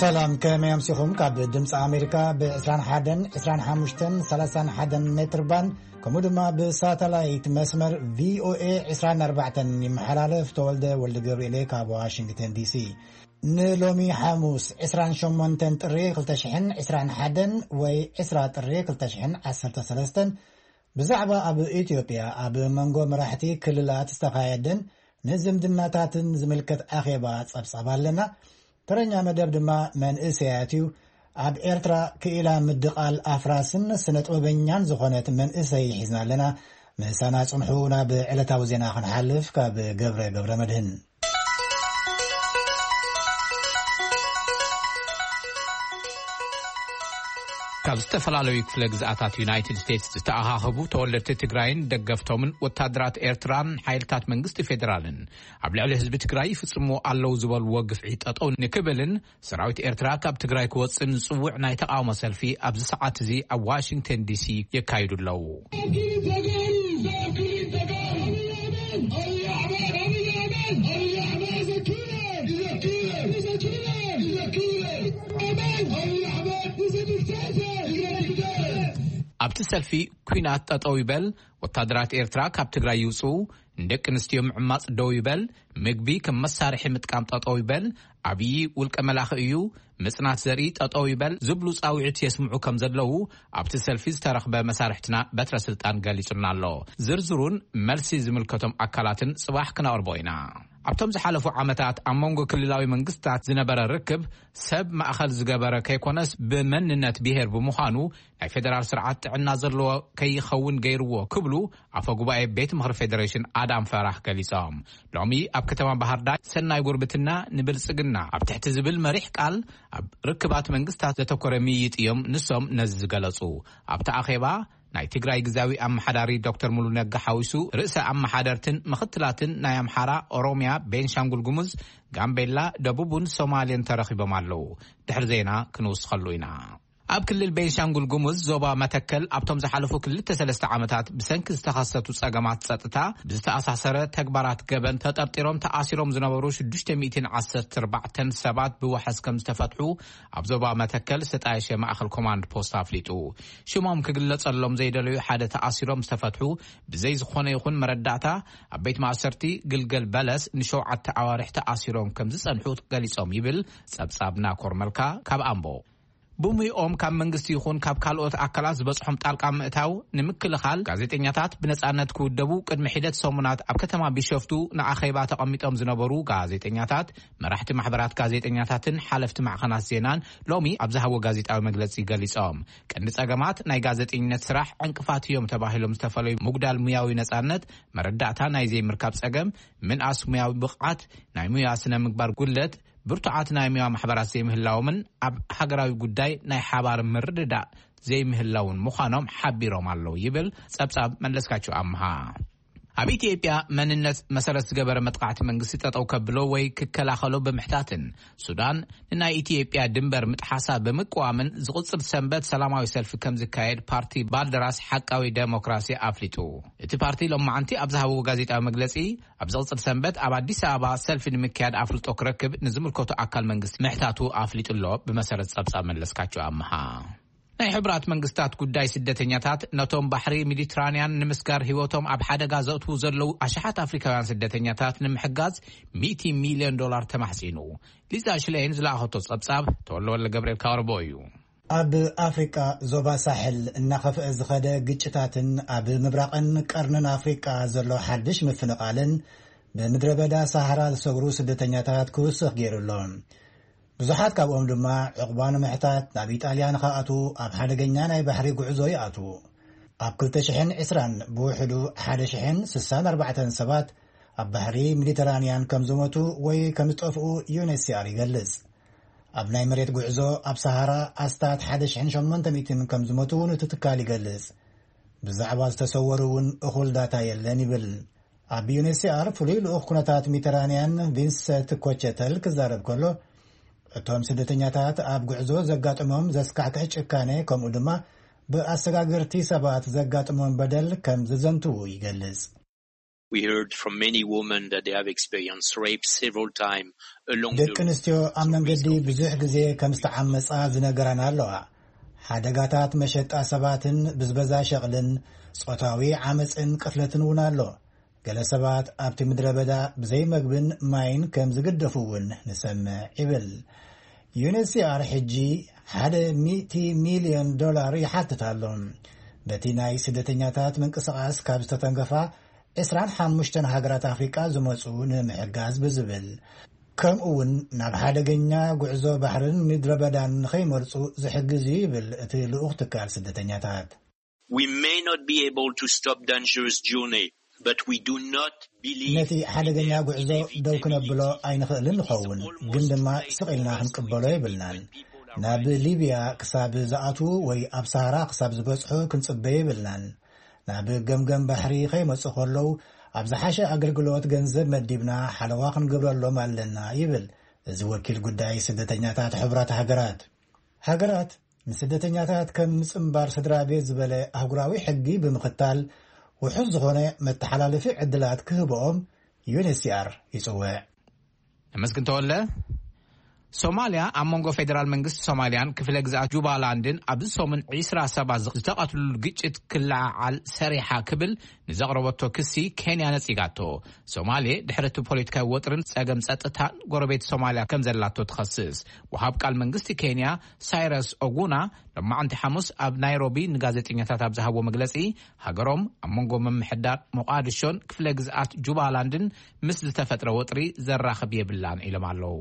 ሰላም፣ ከመይ ኣምሲኹም? ካብ ድምፂ ኣሜሪካ ብ ዕስራን ሓደን፣ ዕስራን ሓሙሽተን፣ ሰላሳን ሓደን ሜትር ባንድ፣ ከምኡ ድማ ብሳተላይት መስመር ቪ ኦ ኤ ዕስራን ኣርባዕተን ይመሓላለፍ። ተወልደ ወልደ ገብርኤል ካብ ዋሽንግተን ዲ ሲ። ንሎሚ ሓሙስ ዕስራን ሸሞንተን ጥሪ ክልተ ሽሕን ዕስራን ሓደን ወይ ዕስራ ጥሪ ክልተ ሽሕን ዓሰርተ ሰለስተን ብዛዕባ ኣብ ኢትዮጵያ ኣብ መንጎ መራሕቲ ክልላት ዝተኻየደን ንዝምድናታትን ዝምልከት ኣኼባ ጸብጻብ ኣለና። ተረኛ መደብ ድማ መንእሰያት እዩ። ኣብ ኤርትራ ክኢላ ምድቓል ኣፍራስን ስነ ጥበበኛን ዝኾነት መንእሰይ ሒዝና ኣለና። ምሳና ጽንሑ። ናብ ዕለታዊ ዜና ክንሓልፍ ካብ ገብረ ገብረ መድህን። ካብ ዝተፈላለዩ ክፍለ ግዝኣታት ዩናይትድ ስቴትስ ዝተኣኻኸቡ ተወለድቲ ትግራይን ደገፍቶምን ወታደራት ኤርትራን ሓይልታት መንግስቲ ፌዴራልን ኣብ ልዕሊ ህዝቢ ትግራይ ይፍጽምዎ ኣለዉ ዝበልዎ ግፍዒ ጠጠው ንክብልን ሰራዊት ኤርትራ ካብ ትግራይ ክወጽእን ዝጽውዕ ናይ ተቃውሞ ሰልፊ ኣብዚ ሰዓት እዚ ኣብ ዋሽንግተን ዲ ሲ የካይዱ ኣለዉ። ኣብቲ ሰልፊ፣ ኲናት ጠጠው ይበል፣ ወታደራት ኤርትራ ካብ ትግራይ ይውጽኡ፣ ንደቂ ኣንስትዮ ምዕማጽ ደው ይበል፣ ምግቢ ከም መሳርሒ ምጥቃም ጠጠው ይበል፣ ኣብይ ውልቀ መላኺ እዩ፣ ምጽናት ዘርኢ ጠጠው ይበል ዝብሉ ጻውዒት የስምዑ ከም ዘለዉ ኣብቲ ሰልፊ ዝተረኽበ መሳርሕትና በትረ ስልጣን ገሊጹልና ኣሎ። ዝርዝሩን መልሲ ዝምልከቶም ኣካላትን ጽባሕ ክነቕርቦ ኢና። ኣብቶም ዝሓለፉ ዓመታት ኣብ መንጎ ክልላዊ መንግስታት ዝነበረ ርክብ ሰብ ማእኸል ዝገበረ ከይኮነስ ብመንነት ብሄር ብምዃኑ ናይ ፌደራል ስርዓት ጥዕና ዘለዎ ከይኸውን ገይርዎ ክብሉ ኣፈ ጉባኤ ቤት ምኽሪ ፌዴሬሽን ኣዳም ፈራህ ገሊጾም። ሎሚ ኣብ ከተማ ባህር ዳር ሰናይ ጉርብትና ንብልጽግና ኣብ ትሕቲ ዝብል መሪሕ ቃል ኣብ ርክባት መንግስታት ዘተኮረ ምይይጥ እዮም ንሶም ነዚ ዝገለጹ። ኣብቲ ኣኼባ ናይ ትግራይ ግዛዊ ኣመሓዳሪ ዶክተር ሙሉ ነጋ ሓዊሱ ርእሰ ኣመሓደርትን ምኽትላትን ናይ ኣምሓራ፣ ኦሮሚያ፣ ቤንሻንጉል ጉሙዝ፣ ጋምቤላ፣ ደቡብን ሶማሌን ተረኺቦም ኣለዉ። ድሕሪ ዜና ክንውስኸሉ ኢና። ኣብ ክልል ቤንሻንጉል ጉሙዝ ዞባ መተከል ኣብቶም ዝሓለፉ ክልተ ሰለስተ ዓመታት ብሰንኪ ዝተኸሰቱ ጸገማት ጸጥታ ብዝተኣሳሰረ ተግባራት ገበን ተጠርጢሮም ተኣሲሮም ዝነበሩ ሽዱሽተ ሚእትን ዓሰርተ ኣርባዕተን ሰባት ብዋሕስ ከም ዝተፈትሑ ኣብ ዞባ መተከል ዝተጣየሸ ማእኸል ኮማንድ ፖስት ኣፍሊጡ። ሽሞም ክግለጸሎም ዘይደለዩ ሓደ ተኣሲሮም ዝተፈትሑ ብዘይ ዝኾነ ይኹን መረዳእታ ኣብ ቤት ማእሰርቲ ግልገል በለስ ንሸውዓተ ኣዋርሕ ተኣሲሮም ከም ዝጸንሑ ገሊጾም ይብል ጸብጻብ ናኮር መልካ ካብ ኣምቦ። ብሙይኦም ካብ መንግስቲ ይኹን ካብ ካልኦት ኣካላት ዝበጽሖም ጣልቃ ምእታው ንምክልኻል ጋዜጠኛታት ብነጻነት ክውደቡ ቅድሚ ሒደት ሰሙናት ኣብ ከተማ ቢሾፍቱ ንኣኼባ ተቐሚጦም ዝነበሩ ጋዜጠኛታት፣ መራሕቲ ማሕበራት ጋዜጠኛታትን ሓለፍቲ ማዕኸናት ዜናን ሎሚ ኣብ ዝሃቦ ጋዜጣዊ መግለጺ ገሊጾም። ቀንዲ ጸገማት ናይ ጋዜጠኝነት ስራሕ ዕንቅፋት እዮም ተባሂሎም ዝተፈለዩ ምጉዳል ሙያዊ ነጻነት፣ መረዳእታ ናይ ዘይምርካብ ጸገም፣ ምንኣስ ሙያዊ ብቕዓት፣ ናይ ሙያ ስነ ምግባር ጉድለት፣ ብርቱዓት ናይ ሙያ ማሕበራት ዘይምህላዎምን ኣብ ሃገራዊ ጉዳይ ናይ ሓባር ምርድዳእ ዘይምህላውን ምዃኖም ሓቢሮም ኣለዉ ይብል ጸብጻብ መለስካቸው ኣምሃ። ኣብ ኢትዮጵያ መንነት መሰረት ዝገበረ መጥቃዕቲ መንግስቲ ጠጠው ከብሎ ወይ ክከላኸሎ ብምሕታትን ሱዳን ንናይ ኢትዮጵያ ድንበር ምጥሓሳ ብምቅዋምን ዝቕጽል ሰንበት ሰላማዊ ሰልፊ ከም ዝካየድ ፓርቲ ባልደራስ ሓቃዊ ዴሞክራሲ ኣፍሊጡ። እቲ ፓርቲ ሎማዓንቲ ኣብ ዝሃብዎ ጋዜጣዊ መግለጺ ኣብ ዝቕጽል ሰንበት ኣብ ኣዲስ ኣበባ ሰልፊ ንምክያድ ኣፍልጦ ክረክብ ንዝምልከቱ ኣካል መንግስቲ ምሕታቱ ኣፍሊጡ ኣሎ። ብመሰረት ጸብጻብ መለስካቸው ኣምሃ። ናይ ሕቡራት መንግስታት ጉዳይ ስደተኛታት ነቶም ባሕሪ ሜዲትራንያን ንምስጋር ህይወቶም ኣብ ሓደጋ ዘእትዉ ዘለዉ ኣሽሓት ኣፍሪካውያን ስደተኛታት ንምሕጋዝ ሚእቲ ሚልዮን ዶላር ተማሕጺኑ። ሊዛ ሽሌን ዝለኣኸቶ ጸብጻብ ተወልደ ወልደ ገብርኤል ካወርቦ እዩ። ኣብ ኣፍሪቃ ዞባ ሳሕል እናኸፍአ ዝኸደ ግጭታትን ኣብ ምብራቕን ቀርንን ኣፍሪቃ ዘሎ ሓድሽ ምፍንቓልን ብምድረ በዳ ሳሃራ ዝሰግሩ ስደተኛታት ክውስኽ ገይሩ ኣሎ። ብዙሓት ካብኦም ድማ ዕቑባ ንምሕታት ናብ ኢጣልያ ንኽኣትዉ ኣብ ሓደገኛ ናይ ባሕሪ ጉዕዞ ይኣትዉ። ኣብ ክልተ ሽሕን ዕስራን ብውሕዱ ሓደ ሽሕን ስሳን ኣርባዕተን ሰባት ኣብ ባሕሪ ሜዲተራንያን ከም ዝሞቱ ወይ ከም ዝጠፍኡ ዩ ኤን ኤች ሲ ኣር ይገልጽ። ኣብ ናይ መሬት ጉዕዞ ኣብ ሰሃራ ኣስታት ሓደ ሽሕን ሸሞንተ ሚእትን ከም ዝሞቱ እውን እቲ ትካል ይገልጽ። ብዛዕባ ዝተሰወሩ እውን እኹል ዳታ የለን ይብል። ኣብ ዩ ኤን ኤች ሲ ኣር ፍሉይ ልኡኽ ኩነታት ሜዲተራንያን ቪንሰንት ኮቸተል ክዛረብ ከሎ፣ እቶም ስደተኛታት ኣብ ጉዕዞ ዘጋጠሞም ዘስካሕክሕ ጭካኔ፣ ከምኡ ድማ ብኣሰጋገርቲ ሰባት ዘጋጠሞም በደል ከም ዘዘንትዉ ይገልጽ። We heard from many women that they have experienced rape several times along the ደቂ ኣንስትዮ ኣብ መንገዲ ብዙሕ ግዜ ከም ዝተዓመጻ ዝነገራና ኣለዋ። ሓደጋታት መሸጣ ሰባትን ብዝበዛ ሸቕልን ጾታዊ ዓመጽን ቅትለትን እውን ኣሎ። ገለ ሰባት ኣብቲ ምድረ በዳ ብዘይ መግብን ማይን ከም ዝግደፉ እውን ንሰምዕ ይብል። ዩኤንኤችሲኣር ሕጂ ሓደ ሚእቲ ሚልዮን ዶላር ይሓትት ኣሎ። በቲ ናይ ስደተኛታት ምንቅስቓስ ካብ ዝተተንከፋ ዕስራን ሓሙሽተን ሃገራት ኣፍሪቃ ዝመጹ ንምሕጋዝ ብዝብል፣ ከምኡ እውን ናብ ሓደገኛ ጉዕዞ ባሕርን ምድረ በዳን ንኸይመርጹ ዝሕግዝ እዩ ይብል እቲ ልኡኽ ትካል ስደተኛታት። We may not be able to stop dangerous journey, but we do not believe ነቲ ሓደገኛ ጉዕዞ ደው ክነብሎ ኣይንኽእልን ንኸውን፣ ግን ድማ ስቕ ኢልና ክንቅበሎ የብልናን። ናብ ሊብያ ክሳብ ዝኣትዉ ወይ ኣብ ሰሃራ ክሳብ ዝበጽሑ ክንጽበ የብልናን። ናብ ገምገም ባሕሪ ከይመጹ ከለዉ ኣብ ዝሓሸ ኣገልግሎት ገንዘብ መዲብና ሓለዋ ክንገብረሎም ኣለና ይብል እዚ ወኪል ጉዳይ ስደተኛታት ሕቡራት ሃገራት። ሃገራት ንስደተኛታት ከም ምጽንባር ስድራ ቤት ዝበለ ኣህጉራዊ ሕጊ ብምኽታል ውሑስ ዝኾነ መተሓላለፊ ዕድላት ክህብኦም ዩኤንኤችሲኣር ይጽውዕ። ነመስግን ተወለ። ሶማልያ ኣብ መንጎ ፌደራል መንግስቲ ሶማልያን ክፍለ ግዝኣት ጁባላንድን ኣብዚ ሰሙን ዒስራ ሰባት ዝተቐትሉሉ ግጭት ክለዓዓል ሰሪሓ ክብል ንዘቕረበቶ ክሲ ኬንያ ነጺጋቶ። ሶማሌ ድሕሪ እቲ ፖለቲካዊ ወጥርን ጸገም ጸጥታን ጎረቤት ሶማልያ ከም ዘላቶ ትኸስስ። ወሃብ ቃል መንግስቲ ኬንያ ሳይረስ ኦጉና ሎማዕንቲ ሓሙስ ኣብ ናይሮቢ ንጋዜጠኛታት ኣብ ዝሃቦ መግለጺ፣ ሃገሮም ኣብ መንጎ ምምሕዳር ሞቓድሾን ክፍለ ግዝኣት ጁባላንድን ምስ ዝተፈጥረ ወጥሪ ዘራኽብ የብላን ኢሎም ኣለዉ።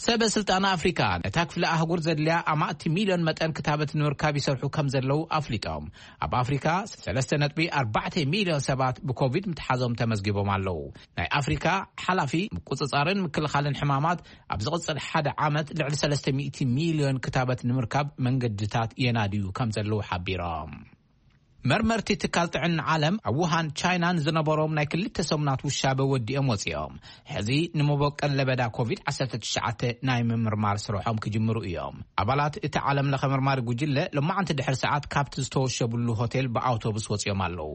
ሰበ ስልጣን ኣፍሪካ ነታ ክፍለ ኣህጉር ዘድልያ ኣማእቲ ሚልዮን መጠን ክታበት ንምርካብ ይሰርሑ ከም ዘለዉ ኣፍሊጦም። ኣብ ኣፍሪካ ሰለስተ ነጥቢ ኣርባዕተ ሚልዮን ሰባት ብኮቪድ ምትሓዞም ተመዝጊቦም ኣለዉ። ናይ ኣፍሪካ ሓላፊ ምቁፅፃርን ምክልኻልን ሕማማት ኣብ ዝቕፅል ሓደ ዓመት ልዕሊ ሰለስተ ሚእቲ ሚልዮን ክታበት ንምርካብ መንገድታት የናድዩ ከም ዘለዉ ሓቢሮም። መርመርቲ ትካል ጥዕና ዓለም ኣብ ውሃን ቻይናን ዝነበሮም ናይ ክልተ ሰሙናት ውሻበ ወዲኦም ወፂኦም። ሕዚ ንመበቀል ለበዳ ኮቪድ ዓሰርተ ትሽዓተ ናይ ምምርማር ስርሖም ክጅምሩ እዮም። ኣባላት እቲ ዓለም ለኸ መርማሪ ጉጅለ ሎማዓንቲ ድሕሪ ሰዓት ካብቲ ዝተወሸብሉ ሆቴል ብኣውቶቡስ ወፂኦም ኣለዉ።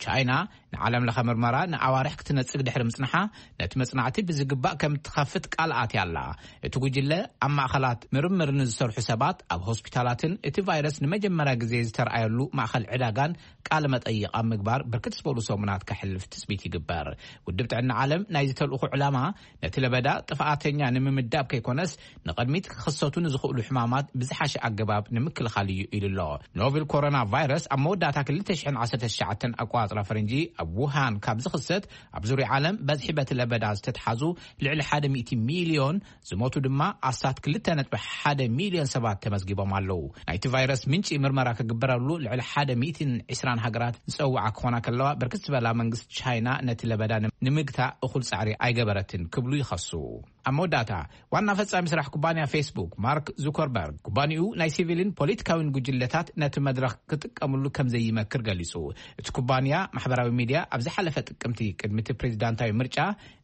ቻይና ንዓለም ለኸ ምርመራ ንኣዋርሕ ክትነጽግ ድሕሪ ምጽንሓ፣ ነቲ መጽናዕቲ ብዝግባእ ከም እትኸፍት ቃል ኣትያ ኣላ። እቲ ጉጅለ ኣብ ማእኸላት ምርምር ንዝሰርሑ ሰባት፣ ኣብ ሆስፒታላትን እቲ ቫይረስ ንመጀመርያ ግዜ ዝተርኣየሉ ማእኸል ዕዳጋን ቃለ መጠይቕ ኣብ ምግባር ብርክት ዝበሉ ሰሙናት ከሕልፍ ትጽቢት ይግበር። ውድብ ጥዕና ዓለም ናይዚ ተልእኾ ዕላማ ነቲ ለበዳ ጥፍኣተኛ ንምምዳብ ከይኮነስ፣ ንቕድሚት ክኽሰቱ ንዝኽእሉ ሕማማት ብዝሓሸ ኣገባብ ንምክልኻል እዩ ኢሉ ኣሎ። ኖቨል ኮሮና ቫይረስ ኣብ መወዳእታ ክልተ ሽሕን ዓሰርተ ትሽዓተን ኣቆጻጽራ ፈረንጂ ኣብ ውሃን ካብ ዝኽሰት፣ ኣብ ዙርያ ዓለም በዝሒ በቲ ለበዳ ዝተትሓዙ ልዕሊ ሓደ ሚእቲ ሚልዮን፣ ዝሞቱ ድማ ኣስታት ክልተ ነጥቢ ሓደ ሚልዮን ሰባት ተመዝጊቦም ኣለዉ። ናይቲ ቫይረስ ምንጪ ምርመራ ክግበረሉ ልዕሊ ሓደ ሚእትን ዕስራን ሃገራት ዝጸውዓ ክኾና ከለዋ፣ ብርክት ዝበላ መንግስቲ ቻይና ነቲ ለበዳ ንምግታእ እኹል ጻዕሪ ኣይገበረትን ክብሉ ይኸሱ። ኣብ መወዳእታ፣ ዋና ፈጻሚ ስራሕ ኩባንያ ፌስቡክ ማርክ ዙከርበርግ፣ ኩባንያኡ ናይ ሲቪልን ፖለቲካዊን ጉጅለታት ነቲ መድረኽ ክጥቀምሉ ከም ዘይመክር ገሊጹ። እቲ ኩባንያ ማሕበራዊ ሚድያ ኣብ ዝሓለፈ ጥቅምቲ ቅድሚ እቲ ፕሬዚዳንታዊ ምርጫ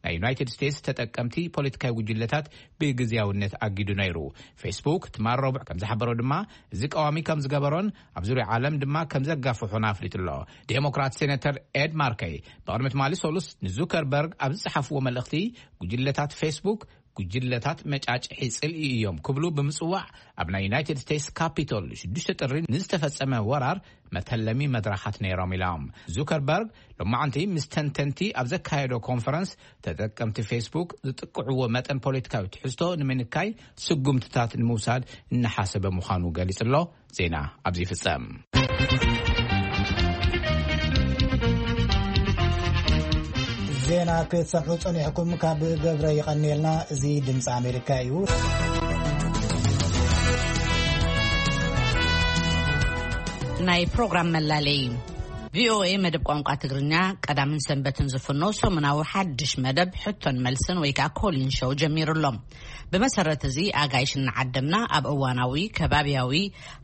ናይ ዩናይትድ ስቴትስ ተጠቀምቲ ፖለቲካዊ ጉጅለታት ብግዝያውነት ኣጊዱ ነይሩ። ፌስቡክ ትማል ረቡዕ ከም ዝሓበሮ ድማ፣ እዚ ቀዋሚ ከም ዝገበሮን ኣብ ዙርያ ዓለም ድማ ከም ዘጋፍሖን ኣፍሊጡ ኣሎ። ዴሞክራት ሴኔተር ኤድ ማርከይ ብቕድሚ ትማሊ ሰሉስ ንዙከርበርግ ኣብ ዝጸሓፍዎ መልእኽቲ፣ ጉጅለታት ፌስቡክ ጉጅለታት መጫጭሒ ጽልኢ እዮም ክብሉ ብምጽዋዕ፣ ኣብ ናይ ዩናይትድ ስቴትስ ካፒቶል ሽዱሽተ ጥሪ ንዝተፈጸመ ወራር መተለሚ መድረኻት ነይሮም ኢሎም። ዙከርበርግ ሎማዓንቲ ምስ ተንተንቲ ኣብ ዘካየዶ ኮንፈረንስ፣ ተጠቀምቲ ፌስቡክ ዝጥቅዕዎ መጠን ፖለቲካዊ ትሕዝቶ ንምንካይ ስጉምትታት ንምውሳድ እናሓሰበ ምዃኑ ገሊጹ ኣሎ። ዜና ኣብዚ ይፍጸም። ዜና ክትሰምዑ ጸኒሕኩም ካብ ገብረ ይቐንየልና። እዚ ድምፂ ኣሜሪካ እዩ። ናይ ፕሮግራም መላለይ። ቪኦኤ መደብ ቋንቋ ትግርኛ ቀዳምን ሰንበትን ዝፍኖ ሰሙናዊ ሓድሽ መደብ ሕቶን መልስን ወይ ከዓ ኮሊን ሾው ጀሚሩ ኣሎ። ብመሰረት እዚ ኣጋይሽ እናዓደምና ኣብ እዋናዊ፣ ከባብያዊ፣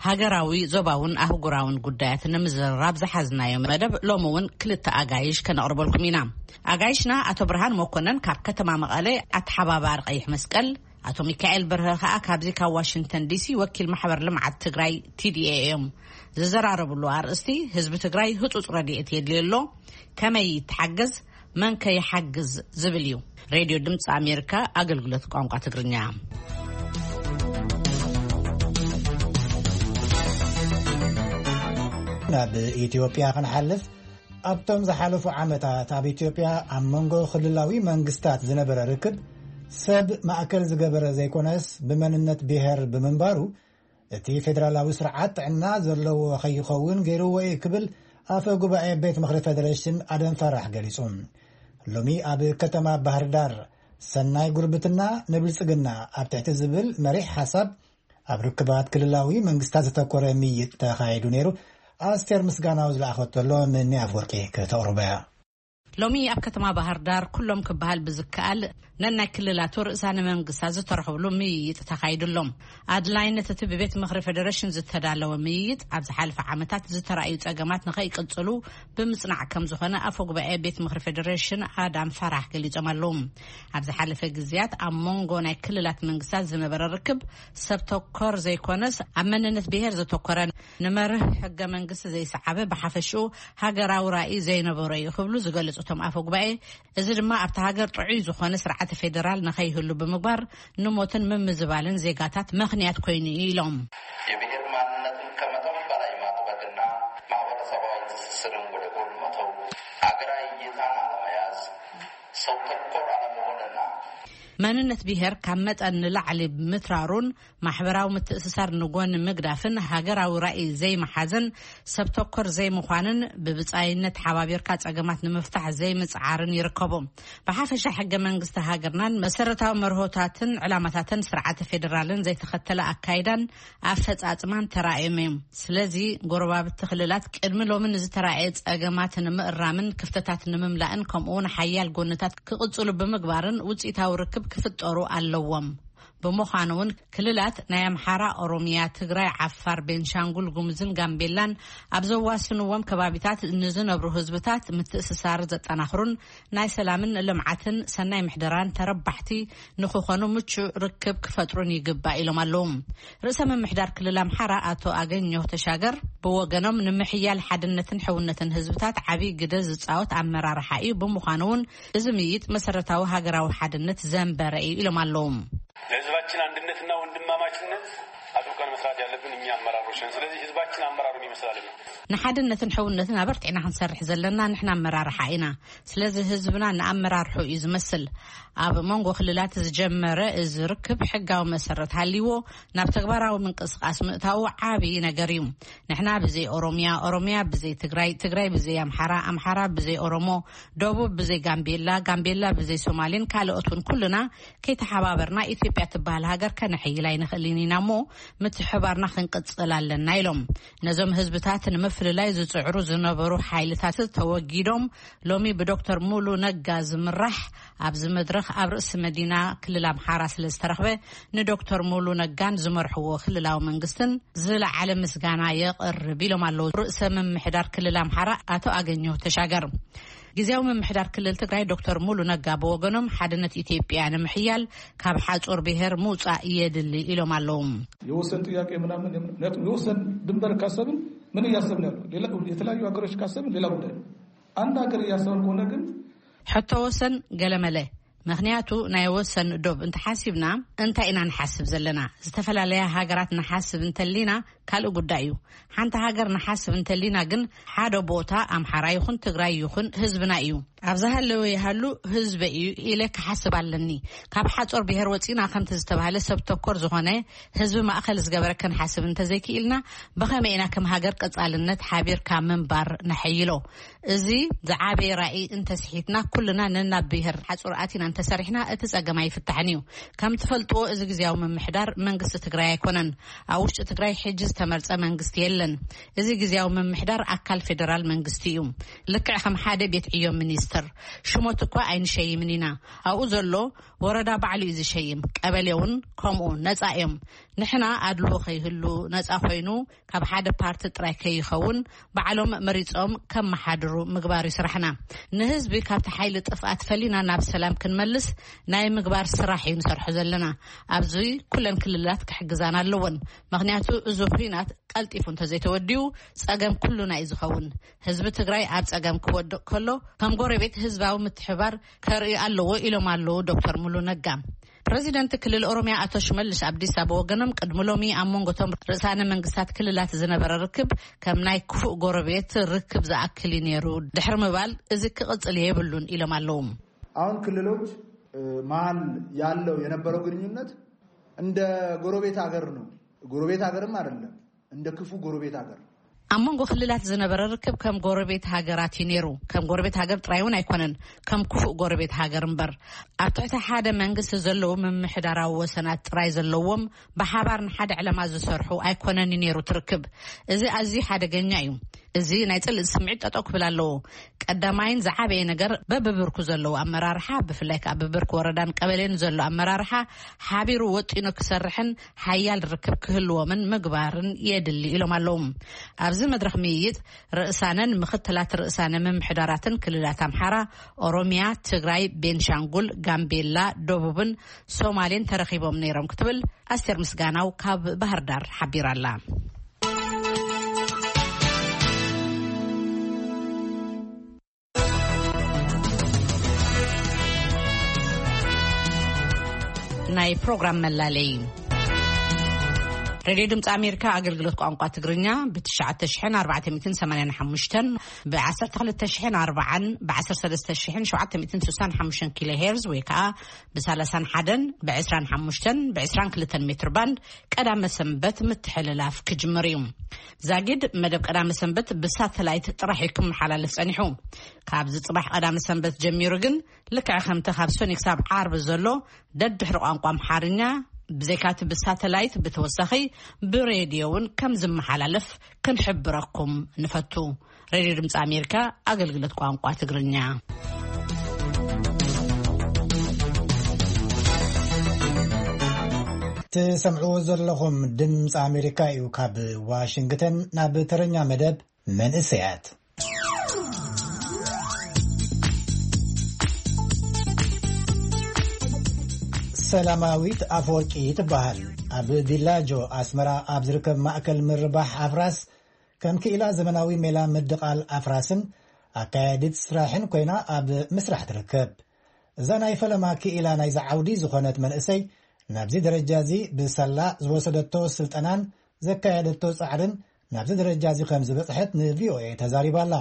ሃገራዊ፣ ዞባውን ኣህጉራውን ጉዳያት ንምዝርራብ ዝሓዝናዮ መደብ ሎሚ እውን ክልተ ኣጋይሽ ከነቕርበልኩም ኢና። ኣጋይሽና ኣቶ ብርሃን መኮነን ካብ ከተማ መቐለ ኣተሓባባሪ ቀይሕ መስቀል፣ ኣቶ ሚካኤል በርሀ ከኣ ካብዚ ካብ ዋሽንግተን ዲሲ ወኪል ማሕበር ልምዓት ትግራይ ቲ ዲ ኤ እዮም። ዝዘራረብሉ ኣርእስቲ ህዝቢ ትግራይ ህጹጽ ረድኤት የድልዮ ኣሎ፣ ከመይ ይተሓገዝ፣ መን ከይሓግዝ ዝብል እዩ። ሬድዮ ድምፂ ኣሜሪካ ኣገልግሎት ቋንቋ ትግርኛ። ናብ ኢትዮጵያ ክንሓልፍ፣ ኣብቶም ዝሓለፉ ዓመታት ኣብ ኢትዮጵያ ኣብ መንጎ ክልላዊ መንግስታት ዝነበረ ርክብ ሰብ ማእከል ዝገበረ ዘይኮነስ ብመንነት ብሔር ብምንባሩ እቲ ፌደራላዊ ስርዓት ጥዕና ዘለዎ ከይኸውን ገይርዎ እዩ ክብል ኣፈ ጉባኤ ቤት ምኽሪ ፌደሬሽን ኣደም ፋራሕ ገሊጹ። ሎሚ ኣብ ከተማ ባህር ዳር ሰናይ ጉርብትና ንብልጽግና ኣብ ትሕቲ ዝብል መሪሕ ሓሳብ ኣብ ርክባት ክልላዊ መንግስታት ዘተኮረ ምይይጥ ተኻይዱ ነይሩ። ኣስቴር ምስጋናው ዝለኣኸቶ ኣሎ ምኒ ኣፍወርቂ ከተቕርቦ እያ። ሎሚ ኣብ ከተማ ባህር ዳር ኩሎም ክበሃል ብዝከኣል ነናይ ክልላቱ ርእሳነ መንግስታት ዝተረኸብሉ ምይይጥ ተኻይዱ ኣሎ። ኣድላይነት እቲ ብቤት ምኽሪ ፌደሬሽን ዝተዳለወ ምይይጥ ኣብ ዝሓለፈ ዓመታት ዝተራእዩ ጸገማት ንኸይቅጽሉ ብምጽናዕ ከም ዝኾነ ኣፈ ጉባኤ ቤት ምኽሪ ፌደሬሽን ኣዳም ፋራሕ ገሊጾም ኣለዉ። ኣብ ዝሓለፈ ግዜያት ኣብ መንጎ ናይ ክልላት መንግስታት ዝነበረ ርክብ ሰብ ተኮር ዘይኮነስ ኣብ መንነት ብሔር ዘተኮረ፣ ንመርህ ሕገ መንግስቲ ዘይሰዓበ፣ ብሓፈሽኡ ሃገራዊ ራእይ ዘይነበሮ እዩ ክብሉ ዝገለጹ እቶም ኣፈ ጉባኤ፣ እዚ ድማ ኣብቲ ሃገር ጥዑይ ዝኾነ ስርዓተ ፌደራል ንኸይህሉ ብምግባር ንሞትን ምምዝባልን ዜጋታት ምኽንያት ኮይኑ እዩ ኢሎም። የብሔር ማንነትን ከመጠን በላይ ማጥበቅና ማህበረሰባዊ ትስስርን ወደ ጎን መተው፣ አገራዊ እይታን አለመያዝ፣ ሰው ተኮር አለመሆንና መንነት ብሔር ካብ መጠን ንላዕሊ ምትራሩን ማሕበራዊ ምትእስሳር ንጎን ምግዳፍን ሃገራዊ ራእይ ዘይመሓዘን ሰብ ተኮር ዘይምዃንን ብብጻይነት ሓባቢርካ ጸገማት ንምፍታሕ ዘይምጽዓርን ይርከቦ። ብሓፈሻ ሕገ መንግስቲ ሃገርናን መሰረታዊ መርሆታትን ዕላማታትን ስርዓተ ፌደራልን ዘይተኸተለ ኣካይዳን ኣፈጻጽማን ተራእዮም እዮም። ስለዚ ጎረባብቲ ክልላት ቅድሚ ሎሚ ንዝተራእየ ጸገማት ንምእራምን ክፍተታት ንምምላእን ከምኡውን ሓያል ጎንታት ክቕጽሉ ብምግባርን ውጽኢታዊ ርክብ ክፍጠሩ ኣለዎም። ብምዃኑ እውን ክልላት ናይ ኣምሓራ፣ ኦሮሚያ፣ ትግራይ፣ ዓፋር፣ ቤንሻንጉል ጉሙዝን ጋምቤላን ኣብ ዘዋስንዎም ከባቢታት ንዝነብሩ ህዝብታት ምትእስሳር ዘጠናኽሩን ናይ ሰላምን ልምዓትን ሰናይ ምሕደራን ተረባሕቲ ንክኾኑ ምቹእ ርክብ ክፈጥሩን ይግባእ ኢሎም ኣለዉ። ርእሰ ምምሕዳር ክልል ኣምሓራ ኣቶ ኣገኘሁ ተሻገር ብወገኖም ንምሕያል ሓድነትን ሕውነትን ህዝብታት ዓብዪ ግደ ዝፃወት ኣመራርሓ እዩ። ብምዃኑ እውን እዚ ምይይጥ መሰረታዊ ሃገራዊ ሓድነት ዘንበረ እዩ ኢሎም ኣለዉ። ለህዝባችን አንድነትና ወንድማማችነት አጥብቀን መስራት ያለብን እኛ አመራሮች ነን። ስለዚህ ህዝባችን አመራሩን ይመስላልና። ንሓድነትን ሕውነትን ኣበርቲዕና ክንሰርሕ ዘለና ንሕና ኣመራርሓ ኢና። ስለዚ ህዝብና ንኣመራርሑ እዩ ዝመስል። ኣብ መንጎ ክልላት ዝጀመረ እዚ ርክብ ሕጋዊ መሰረት ሃልይዎ ናብ ተግባራዊ ምንቅስቃስ ምእታዉ ዓብዪ ነገር እዩ። ንሕና ብዘይ ኦሮሚያ፣ ኦሮሚያ ብዘይ ትግራይ፣ ትግራይ ብዘይ ኣምሓራ፣ ኣምሓራ ብዘይ ኦሮሞ፣ ደቡብ ብዘይ ጋምቤላ፣ ጋምቤላ ብዘይ ሶማሌን ካልኦት እውን ኩልና ከይተሓባበርና ኢትዮጵያ ትበሃል ሃገር ከነሕይል ኣይንኽእልን ኢና እሞ ምትሕባርና ክንቅጽል ኣለና ኢሎም። ነዞም ህዝብታት ንምፍልላይ ዝጽዕሩ ዝነበሩ ሓይልታት ተወጊዶም ሎሚ ብዶክተር ሙሉ ነጋ ዝምራሕ ኣብዚ መድረኽ ኣብ ርእሲ መዲና ክልል ኣምሓራ ስለ ዝተረኽበ ንዶክተር ሙሉ ነጋን ዝመርሕዎ ክልላዊ መንግስትን ዝለዓለ ምስጋና የቕርብ ኢሎም ኣለዉ ርእሰ ምምሕዳር ክልል ኣምሓራ ኣቶ ኣገኘሁ ተሻገር። ግዜያዊ ምምሕዳር ክልል ትግራይ ዶክተር ሙሉ ነጋ ብወገኖም ሓድነት ኢትዮጵያ ንምሕያል ካብ ሓጹር ብሔር ምውጻእ የድሊ ኢሎም ኣለዉ። የወሰን ጥያቄ ምናምን የምን-፣ ምክንያቱም የወሰን ድንበር ካሰብን ምን እያሰብን ያለው ሌላ፣ የተለያዩ ሀገሮች ካሰብን ሌላ ጉዳይ ነው። አንድ ሀገር እያሰብን ከሆነ ግን ሕቶ ወሰን ገለመለ። ምክንያቱ ናይ ወሰን ዶብ እንተሓሲብና እንታይ ኢና ንሓስብ ዘለና? ዝተፈላለያ ሃገራት ንሓስብ እንተሊና ካልእ ጉዳይ እዩ። ሓንቲ ሃገር ንሓስብ እንተሊና ግን ሓደ ቦታ ኣምሓራ ይኹን ትግራይ ይኹን ህዝብና እዩ። ኣብ ዝሃለወ ይሃሉ ህዝበ እዩ ኢለ ክሓስብ ኣለኒ። ካብ ሓጾር ብሔር ወጺና ከምቲ ዝተባህለ ሰብ ተኮር ዝኾነ ህዝቢ ማእከል ዝገበረ ክንሓስብ እንተዘይክኢልና ብኸመይ ኢና ከም ሃገር ቀጻልነት ሓቢርካ ምንባር ነሐይሎ? እዚ ዝዓበየ ራእይ እንተስሒትና ኩልና ነናብ ብሔር ሓጹር ኣቲና እንተሰሪሕና እቲ ጸገም ኣይፍታሕን እዩ። ከም ትፈልጥዎ እዚ ግዜያዊ ምምሕዳር መንግስቲ ትግራይ ኣይኮነን። ኣብ ውሽጢ ትግራይ ሕጂ ዝተመርጸ መንግስቲ የለን። እዚ ግዜያዊ ምምሕዳር ኣካል ፌደራል መንግስቲ እዩ። ልክዕ ከም ሓደ ቤት ዕዮ ሚኒስትር ሽሞት እኳ ኣይንሸይምን ኢና። ኣብኡ ዘሎ ወረዳ ባዕሉ እዩ ዝሸይም። ቀበሌ እውን ከምኡ ነጻ እዮም። ንሕና ኣድልዎ ከይህሉ ነጻ ኮይኑ ካብ ሓደ ፓርቲ ጥራይ ከይኸውን ባዕሎም መሪጾም ከመሓድሩ ምግባር እዩ ስራሕና። ንህዝቢ ካብቲ ሓይሊ ጥፍኣት ፈሊና ናብ ሰላም መልስ ናይ ምግባር ስራሕ እዩ ንሰርሖ ዘለና። ኣብዚ ኩለን ክልላት ክሕግዛን ኣለዎን። ምኽንያቱ እዚ ኩናት ቀልጢፉ እንተዘይተወዲኡ ጸገም ኩሉና እዩ ዝኸውን። ህዝቢ ትግራይ ኣብ ጸገም ክወድቕ ከሎ ከም ጎረቤት ህዝባዊ ምትሕባር ከርኢ ኣለዎ ኢሎም ኣለዉ ዶክተር ሙሉ ነጋ። ፕረዚደንት ክልል ኦሮሚያ ኣቶ ሽመልስ ኣብዲሳ ብወገኖም ቅድሚ ሎሚ ኣብ መንጎቶም ርእሳነ መንግስታት ክልላት ዝነበረ ርክብ ከም ናይ ክፉእ ጎረቤት ርክብ ዝኣክል እዩ ነይሩ ድሕሪ ምባል እዚ ክቕጽል የብሉን ኢሎም ኣለዉ። አሁን ክልሎች መሀል ያለው የነበረው ግንኙነት እንደ ጎረቤት ሀገር ነው። ጎረቤት ሀገርም አይደለም፣ እንደ ክፉ ጎረቤት ሀገር። ኣብ መንጎ ክልላት ዝነበረ ርክብ ከም ጎረቤት ሃገራት እዩ ነይሩ። ከም ጎረቤት ሃገር ጥራይ እውን ኣይኮነን፣ ከም ክፉእ ጎረቤት ሃገር እምበር። ኣብ ትሕቲ ሓደ መንግስቲ ዘለዉ ምምሕዳራዊ ወሰናት ጥራይ ዘለዎም፣ ብሓባር ንሓደ ዕላማ ዝሰርሑ ኣይኮነን እዩ ነይሩ ትርክብ። እዚ ኣዝዩ ሓደገኛ እዩ። እዚ ናይ ጽልኢ ስምዒት ጠጠው ክብል ኣለዎ። ቀዳማይን ዝዓበየ ነገር በብብርኩ ዘለዉ ኣመራርሓ፣ ብፍላይ ከዓ ብብርኪ ወረዳን ቀበሌን ዘሎ ኣመራርሓ ሓቢሩ ወጢኑ ክሰርሕን ሓያል ርክብ ክህልዎምን ምግባርን የድሊ ኢሎም ኣለዉ። ኣብዚ መድረኽ ምይይጥ ርእሳነን ምኽትላት ርእሳነ ምምሕዳራትን ክልላት ኣምሓራ፣ ኦሮሚያ፣ ትግራይ፣ ቤንሻንጉል፣ ጋምቤላ፣ ደቡብን ሶማሌን ተረኺቦም ነይሮም ክትብል ኣስቴር ምስጋናው ካብ ባህር ዳር ሓቢራላ። ናይ ፕሮግራም መላለይ። ሬድዮ ድምፂ ኣሜሪካ ኣገልግሎት ቋንቋ ትግርኛ ብ ትሽዓተ ሽሕን ኣርባዕተ ሚእትን ሰማንያን ሓሙሽተን፣ ብ ዓሰርተ ክልተ ሽሕን ኣርባዓን፣ ብ ዓሰርተ ሰለስተ ሽሕን ሸውዓተ ሚእትን ስሳን ሓሙሽተን ኪሎ ሄርዝ ወይ ከዓ ብ ሰላሳን ሓደን፣ ብ ዕስራን ሓሙሽተን፣ ብ ዕስራን ክልተን ሜትር ባንድ ቀዳመ ሰንበት ምትሕልላፍ ክጅምር እዩ። ዛጊድ መደብ ቀዳመ ሰንበት ብሳተላይት ጥራሕ እዩ ክመሓላለፍ ጸኒሑ። ካብዚ ጽባሕ ቀዳመ ሰንበት ጀሚሩ ግን ልክዕ ከምቲ ካብ ሰኑይ ክሳብ ዓርቢ ዘሎ ደድሕሪ ቋንቋ ኣምሓርኛ ብዘይካቲ ብሳተላይት ብተወሳኺ ብሬድዮ እውን ከም ዝመሓላለፍ ክንሕብረኩም ንፈቱ። ሬድዮ ድምፂ ኣሜሪካ ኣገልግሎት ቋንቋ ትግርኛ። ትሰምዕዎ ዘለኹም ድምፂ ኣሜሪካ እዩ። ካብ ዋሽንግተን ናብ ተረኛ መደብ መንእሰያት። ሰላማዊት ኣፈወርቂ ትበሃል። ኣብ ቢላጆ ኣስመራ ኣብ ዝርከብ ማእከል ምርባሕ ኣፍራስ ከም ክኢላ ዘመናዊ ሜላ ምድቓል ኣፍራስን ኣካያዲት ስራሕን ኮይና ኣብ ምስራሕ ትርከብ። እዛ ናይ ፈለማ ክኢላ ናይዚ ዓውዲ ዝኾነት መንእሰይ ናብዚ ደረጃ እዚ ብሳላ ዝወሰደቶ ስልጠናን ዘካየደቶ ጻዕርን ናብዚ ደረጃ እዚ ከም ዝበጽሐት ንቪኦኤ ተዛሪባ ኣላ።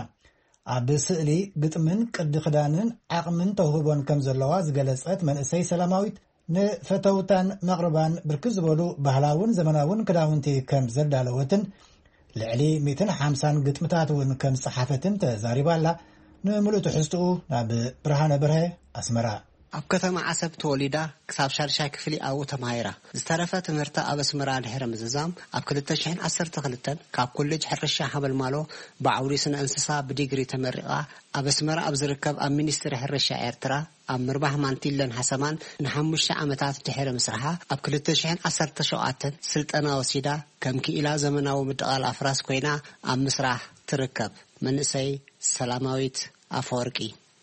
ኣብ ስእሊ ግጥምን ቅዲ ክዳንን ዓቕምን ተውህቦን ከም ዘለዋ ዝገለጸት መንእሰይ ሰላማዊት፣ ንፈተውታን መቕርባን ብርክት ዝበሉ ባህላውን ዘመናውን ክዳውንቲ ከም ዘዳለወትን ልዕሊ ሚእትን ሓምሳን ግጥምታት እውን ከም ዝጸሓፈትን ተዛሪባ ኣላ። ንምሉእ ትሕዝትኡ ናብ ብርሃነ በርሀ ኣስመራ። ኣብ ከተማ ዓሰብ ተወሊዳ ክሳብ ሻድሻይ ክፍሊ ኣብኡ ተማሂራ። ዝተረፈ ትምህርታ ኣብ ኣስመራ ድሕሪ ምዝዛም፣ ኣብ ክልተ ሽሕን ዓሰርተ ክልተን ካብ ኮሌጅ ሕርሻ ሓመልማሎ ብዓውዲ ስነ እንስሳ ብዲግሪ ተመሪቓ፣ ኣብ ኣስመራ ኣብ ዝርከብ ኣብ ሚኒስትሪ ሕርሻ ኤርትራ ኣብ ምርባሕ ማንቲለን ሓሰማን ንሓሙሽተ ዓመታት ድሕሪ ምስራሓ፣ ኣብ ክልተ ሽሕን ዓሰርተ ሸውዓተን ስልጠና ወሲዳ ከም ክኢላ ዘመናዊ ምድቓል ኣፍራስ ኮይና ኣብ ምስራሕ ትርከብ። መንእሰይ ሰላማዊት ኣፈወርቂ።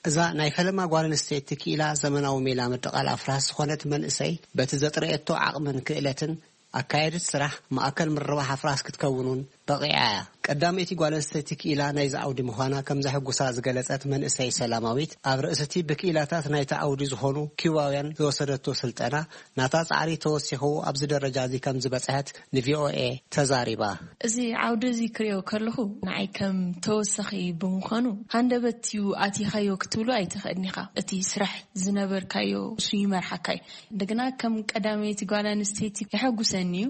እዛ ናይ ፈለማ ጓል ኣንስተይቲ ክኢላ ዘመናዊ ሜላ ምድቓል ኣፍራስ ዝኾነት መንእሰይ፣ በቲ ዘጥረየቶ ዓቕምን ክእለትን ኣካየዲት ስራሕ ማእከል ምርባሕ ኣፍራስ ክትከውን እውን በቒዓ እያ። ቀዳመይቲ ጓል ኣንስተይቲ ክኢላ ናይዚ ዓውዲ ምዃና ከም ዘሐጉሳ ዝገለጸት መንእሰይ ሰላማዊት፣ ኣብ ርእሲ እቲ ብክኢላታት ናይቲ ዓውዲ ዝኾኑ ኪውባውያን ዝወሰደቶ ስልጠና፣ ናታ ጻዕሪ ተወሲኹ ኣብዚ ደረጃ እዚ ከም ዝበጽሐት ንቪኦኤ ተዛሪባ። እዚ ዓውዲ እዚ ክሪኦ ከለኹ ንዓይ ከም ተወሳኺ ብምዃኑ፣ ሃንደበት እዩ ኣቲኻዮ ክትብሎ ኣይትኽእልን ኢኻ። እቲ ስራሕ ዝነበርካዮ እሱ ይመርሓካ እዩ። እንደገና ከም ቀዳመይቲ ጓል ኣንስተይቲ የሐጉሰኒ እዩ።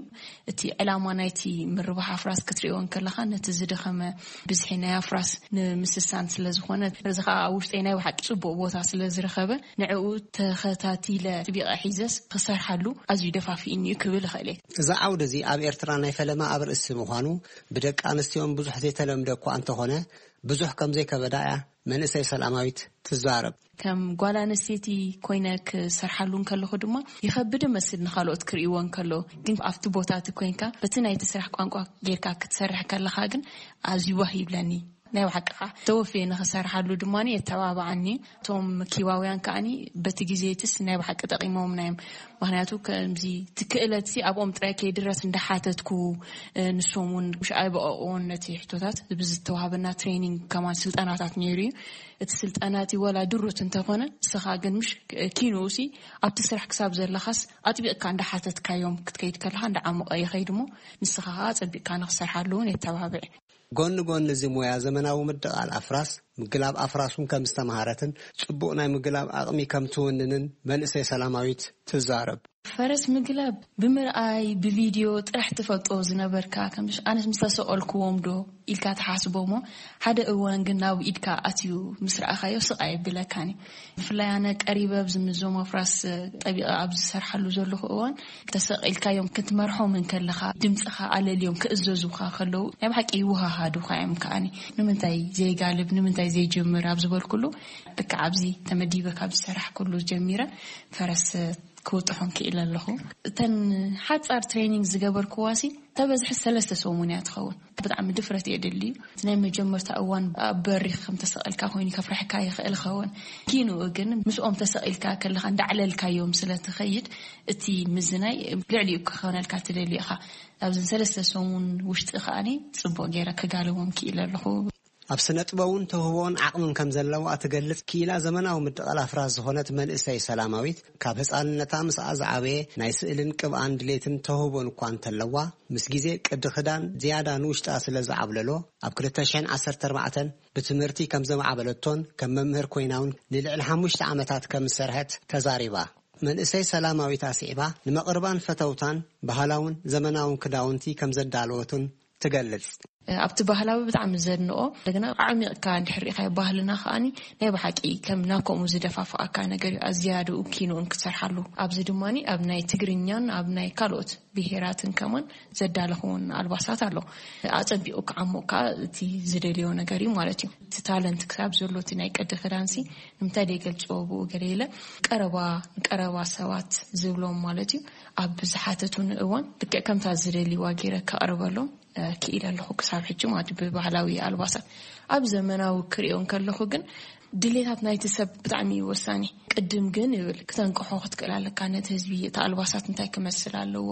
እቲ ዕላማ ናይቲ ምርባሕ ኣፍራስ ክትሪኦ እንከለኻ፣ ነቲ ዝደኸመ ብዝሒ ናይ ኣፍራስ ንምስሳን ስለ ዝኾነ፣ እዚ ኸኣ ኣብ ውሽጠይ ናይ ብሓቂ ጽቡቕ ቦታ ስለ ዝረኸበ፣ ንዕኡ ተኸታቲለ ኣጥቢቐ ሒዘስ ክሰርሓሉ ኣዝዩ ደፋፊእኒ እዩ ክብል እኽእል እየ። እዚ ዓውዲ እዚ ኣብ ኤርትራ ናይ ፈለማ ኣብ ርእሲ ምዃኑ፣ ብደቂ ኣንስትዮን ብዙሕ ዘይተለምደ እኳ እንተኾነ፣ ብዙሕ ከም ዘይከበዳ እያ መንእሰይ ሰላማዊት ትዛረብ። ከም ጓል ኣንስተይቲ ኮይነ ክሰርሓሉ እንከለኹ ድማ ይኸብድ እመስል ንኻልኦት ክርእይዎ እንከሎ፣ ግን ኣብቲ ቦታ እቲ ኮይንካ በቲ ናይቲ ስራሕ ቋንቋ ጌርካ ክትሰርሕ ከለኻ ግን ኣዝዩ ዋህ ይብለኒ። ናይ ብሓቂ ከዓ ተወፍየ ንኽሰርሓሉ ድማ የተባብዓኒ። እቶም ኪባውያን ከዓኒ በቲ ግዜ ትስ ናይ ብሓቂ ጠቒሞምና እዮም። ምኽንያቱ ከምዚ እቲ ክእለት ሲ ኣብኦም ጥራይ ከይድረስ እንዳሓተትኩ፣ እ፣ ንሶም እውን ምሽ ኣይበቐቕዎን ነቲ ሕቶታት። ብዝተዋሃበና ትሬኒንግ ከማን ስልጠናታት ነይሩ እዩ። እቲ ስልጠና እቲ ወላ ድሩት እንተኾነ፣ ንስኻ ግን ምሽ ኪንኡ ሲ ኣብቲ ስራሕ ክሳብ ዘለኻስ ኣጥቢቕካ እንዳሓተትካዮም ክትከይድ ከለኻ እንዳዓሞቐ ይኸይድ እሞ፣ ንስኻ ከዓ ኣጸቢቕካ ንኽሰርሓሉ እውን የተባብዕ። ጎኒ ጎኒ እዚ ሞያ ዘመናዊ ምድቓል ኣፍራስ፣ ምግላብ ኣፍራስ እውን ከም ዝተምሃረትን ጽቡቕ ናይ ምግላብ ኣቕሚ ከም ትውንንን መንእሰይ ሰላማዊት ትዛረብ። ፈረስ ምግላብ ብምርኣይ፣ ብቪድዮ ጥራሕ ትፈልጦ ዝነበርካ፣ ከም ኣነስ ምስ ተሰቐልክዎም ዶ ኢልካ ትሓስቦ እሞ፣ ሓደ እዋን ግን ናብ ኢድካ ኣትዩ ምስ ረኣኻዮ ስቕ ኣይብለካን እዩ። ብፍላይ ኣነ ቀሪበ ኣብዚ ምስዞም ኣፍራስ ጠቢቐ ኣብ ዝሰርሓሉ ዘለኹ እዋን፣ ተሰቒልካዮም ክትመርሖም እንከለኻ፣ ድምፅኻ ኣለልዮም ክእዘዙኻ ከለዉ፣ ናይ ብሓቂ ይወሃሃዱኻ እዮም ከኣኒ። ንምንታይ ዘይጋልብ፣ ንምንታይ ዘይጅምር ኣብ ዝበልኩሉ፣ ልክዕ ኣብዚ ተመዲበ ካብ ዝሰራሕኩሉ ጀሚረ ፈረስ ክውጥሖም ክኢለ ኣለኹ። እተን ሓጻር ትሬኒንግ ዝገበርክዋሲ ተበዝሒ ሰለስተ ሰሙን እያ ትኸውን። ብጣዕሚ ድፍረት የድሊ እዩ። እቲ ናይ መጀመርታ እዋን ኣብ በሪኽ ከም ተሰቒልካ ኮይኑ ከፍርሐካ ይኽእል ይኸውን። ኪንኡ ግን ምስኦም ተሰቒልካ ከለኻ እንዳዕለልካዮም ስለ ትኸይድ፣ እቲ ምዝናይ ልዕሊኡ ክኾነልካ ትደሊ ኢኻ። ኣብዚ ሰለስተ ሰሙን ውሽጢ ከኣኒ ጽቡቕ ገይረ ክጋልቦም ክኢለ ኣለኹ። ኣብ ስነ ጥበቡን ተውህቦን ዓቕምን ከም ዘለዋ እትገልጽ ክኢላ ዘመናዊ ምድቓል ኣፍራስ ዝኾነት መንእሰይ ሰላማዊት፣ ካብ ህፃንነታ ምስኣ ዝዓበየ ናይ ስእልን ቅብኣን ድሌትን ተውህቦን እኳ እንተለዋ፣ ምስ ግዜ ቅዲ ክዳን ዝያዳ ንውሽጣ ስለ ዝዓብለሎ፣ ኣብ ክልተ ሽሕን ዓሰርተ ኣርባዕተን ብትምህርቲ ከም ዘማዕበለቶን ከም መምህር ኮይና እውን ንልዕሊ ሓሙሽተ ዓመታት ከም ዝሰርሐት ተዛሪባ። መንእሰይ ሰላማዊት ኣስዒባ፣ ንመቕርባን ፈተውታን ባህላውን ዘመናውን ክዳውንቲ ከም ዘዳለወትን ትገልጽ። ኣብቲ ባህላዊ ብጣዕሚ ዘድንቆ፣ እንደገና ኣዕሚቕካ እንድሕር ሪኢኻዮ ባህልና ከኣኒ ናይ ብሓቂ ከም ናብ ከምኡ ዝደፋፍኣካ ነገር እዩ። ኣዝያድኡ ኪንኡን ክትሰርሓሉ። ኣብዚ ድማኒ ኣብ ናይ ትግርኛን ኣብ ናይ ካልኦት ብሄራትን ከማን ዘዳለኹውን ኣልባሳት ኣሎ። ኣጸቢቑ ክዓሙቕ ከኣ እቲ ዝደልዮ ነገር እዩ ማለት እዩ። እቲ ታለንት ክሳብ ዘሎ እቲ ናይ ቅዲ ክዳንሲ ንምንታይ ደይገልጽዎ ብኡ ገለ ኢለ ቀረባ፣ ንቀረባ ሰባት ዝብሎም ማለት እዩ። ኣብ ዝሓተቱኒ እዋን ልክዕ ከምታ ዝደልይዋ ገይረ ከቕርበሎም እ፣ ክኢለ ኣለኹ ክሳብ ሕጂ ማለት እዩ። ብባህላዊ ኣልባሳት ኣብ ዘመናዊ ክሪኦ እንከለኹ ግን ድሌታት ናይቲ ሰብ ብጣዕሚ እዩ ወሳኒ። ቅድም ግን ይብል ክተንቅሖ ክትክእል ኣለካ ነቲ ህዝቢ፣ እቲ ኣልባሳት እንታይ ክመስል ኣለዎ።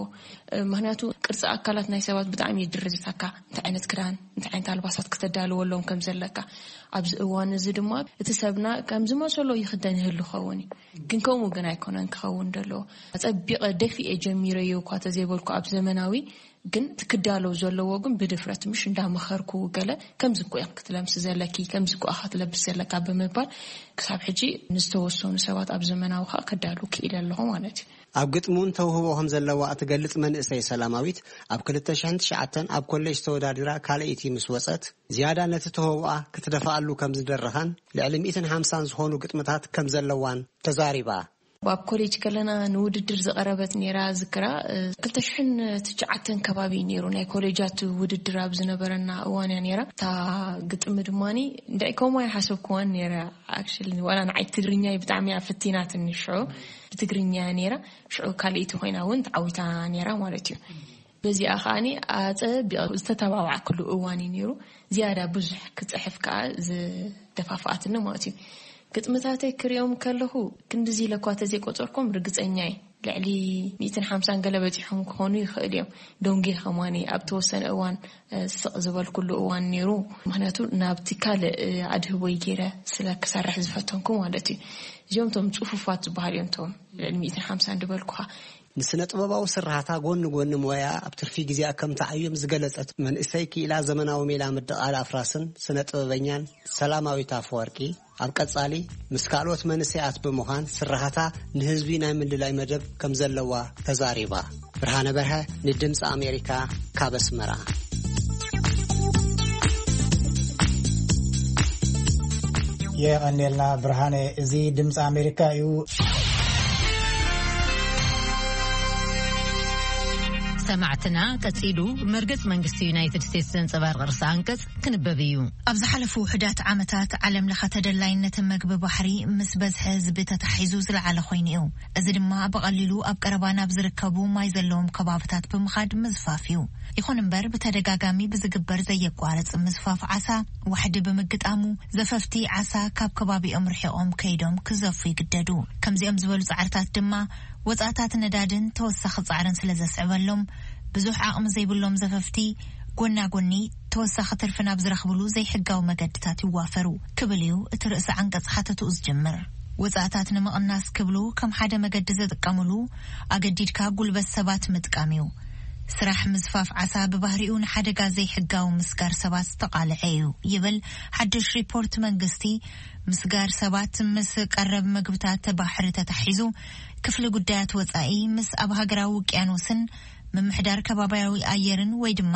እ፣ ምኽንያቱ ቅርጺ ኣካላት ናይ ሰባት ብጣዕሚ እዩ ድርዝታካ፣ እንታይ ዓይነት ክዳን፣ እንታይ ዓይነት ኣልባሳት ክተዳልወሎም ከም ዘለካ። ኣብዚ እዋን እዚ ድማ እቲ ሰብና ከም ዝመሰሎ ይኽደን ይህሉ ኸውን እዩ። ግን ከምኡ ግን ኣይኮነን ክኸውን ዘለዎ። ኣጸቢቐ ደፊኤ ጀሚረዮ እኳ ተዘይበልኩ ኣብ ዘመናዊ፣ ግን እቲ ክዳሎ ዘለዎ ግን ብድፍረት ምሽ እንዳመኸርኩ ገለ ከምዚ እኮ እዮም ክትለምሲ ዘለኪ፣ ከምዚ እኮ ኢኻ ትለብስ ዘለካ ብምባል ክሳብ ሕጂ ንዝተወሰኑ ሰባት ኣብ ዘመናዊ ከዓ ክዳሉ ክኢለ ኣለኹ ማለት እዩ። ኣብ ግጥሚ እውን ተውህቦ ከም ዘለዋ እትገልጽ መንእሰይ ሰላማዊት፣ ኣብ ክልተ ሽሕን ትሽዓተን ኣብ ኮሌጅ ተወዳዲራ ካልኣይቲ ምስ ወጸት፣ ዝያዳ ነቲ ተውህቦኣ ክትደፍኣሉ ከም ዝደረኻን ልዕሊ ሚእትን ሓምሳን ዝኾኑ ግጥምታት ከም ዘለዋን ተዛሪባ። ኣብ ኮሌጅ ከለና ንውድድር ዝቐረበት ነይራ ዝክራ፣ እ፣ ክልተ ሽሕን ትሽዓተን ከባቢ እዩ ነይሩ። ናይ ኮሌጃት ውድድር ኣብ ዝነበረና እዋን እያ ነይራ። እታ ግጥሚ ድማኒ እንድዒ ከምኡ ኣይሓሰብኩዋን ነይረ። ኣክሽሊ ዋላ ንዓይ ትግርኛይ ብጣዕሚ እያ ፈቲናትኒ ሽዑ። ብትግርኛ እያ ነይራ። ሽዑ ካልኣይቲ ኮይና እውን ተዓዊታ ነይራ ማለት እዩ። በዚኣ ከኣኒ ኣጸቢቐ ዝተተባባዕኩሉ እዋን እዩ ነይሩ። ዝያዳ ብዙሕ ክጽሕፍ ከኣ ዝደፋፍኣትኒ ማለት እዩ። ግጥምታተይ ክሪኦም ከለኹ ክንድዚ ኢለ እኳ ተዘይቆጸርኩም ርግጸኛ እየ። ልዕሊ ሚእትን ሓምሳን ገለ በጺሖም ክኾኑ ይኽእል እዮም። ዶንጌ ከማኒ ኣብ ተወሰነ እዋን፣ እ፣ ስቕ ዝበልኩሉ እዋን ነይሩ። ምኽንያቱ ናብቲ ካልእ፣ እ፣ ኣድህቦይ ገይረ ስለ ክሰርሕ ዝፈተንኩ ማለት እዩ። እዚኦም እቶም ጽፉፋት ዝበሃሉ እዮም፣ እቶም ልዕሊ ሚእትን ሓምሳን ዝበልኩኻ። ንስነ ጥበባዊ ስራሕታ ጎኒ ጎኒ ሞያ ኣብ ትርፊ ግዜኣ ከም ትዓዩም ዝገለጸት መንእሰይ ክኢላ ዘመናዊ ሜላ ምድቓል ኣፍራስን ስነ ጥበበኛን ሰላማዊት ኣፈወርቂ፣ ኣብ ቀጻሊ ምስ ካልኦት መንእሰያት ብምዃን ስራሕታ ንህዝቢ ናይ ምልላይ መደብ ከም ዘለዋ ተዛሪባ። ብርሃነ በርሀ ንድምፂ ኣሜሪካ ካብ ኣስመራ። የቐኔልና ብርሃነ። እዚ ድምፂ ኣሜሪካ እዩ። ሰማዕትና ቀጺሉ መርገጽ መንግስቲ ዩናይትድ ስቴትስ ዘንጸባርቕ ርእሰ ኣንቀጽ ክንበብ እዩ። ኣብ ዝሓለፉ ውሑዳት ዓመታት ዓለም ለኸ ተደላይነት መግቢ ባሕሪ ምስ በዝሒ ህዝቢ ተታሒዙ ዝለዓለ ኮይኑ እዩ። እዚ ድማ ብቐሊሉ ኣብ ቀረባ ናብ ዝርከቡ ማይ ዘለዎም ከባብታት ብምኻድ ምዝፋፍ እዩ። ይኹን እምበር ብተደጋጋሚ ብዝግበር ዘየቋርጽ ምዝፋፍ ዓሳ ዋሕዲ ብምግጣሙ ዘፈፍቲ ዓሳ ካብ ከባቢኦም ርሒቖም ከይዶም ክዘፉ ይግደዱ። ከምዚኦም ዝበሉ ጻዕርታት ድማ ወጻእታት ነዳድን ተወሳኺ ጻዕርን ስለ ዘስዕበሎም ብዙሕ ዓቕሚ ዘይብሎም ዘፈፍቲ ጎና ጎኒ ተወሳኺ ትርፊ ናብ ዝረኽብሉ ዘይሕጋዊ መገድታት ይዋፈሩ ክብል እዩ እቲ ርእሰ ዓንቀጽ ሓተትኡ ዝጅምር። ወጻእታት ንምቕናስ ክብሉ ከም ሓደ መገዲ ዝጥቀምሉ ኣገዲድካ ጉልበት ሰባት ምጥቃም እዩ። ስራሕ ምዝፋፍ ዓሳ ብባህሪኡ ንሓደጋ ዘይሕጋዊ ምስጋር ሰባት ዝተቓልዐ እዩ ይብል ሓድሽ ሪፖርት መንግስቲ። ምስጋር ሰባት ምስ ቀረብ ምግብታት ባሕሪ ተታሒዙ ክፍሊ ጉዳያት ወጻኢ ምስ ኣብ ሃገራዊ ውቅያኖስን ምምሕዳር ከባቢያዊ ኣየርን ወይ ድማ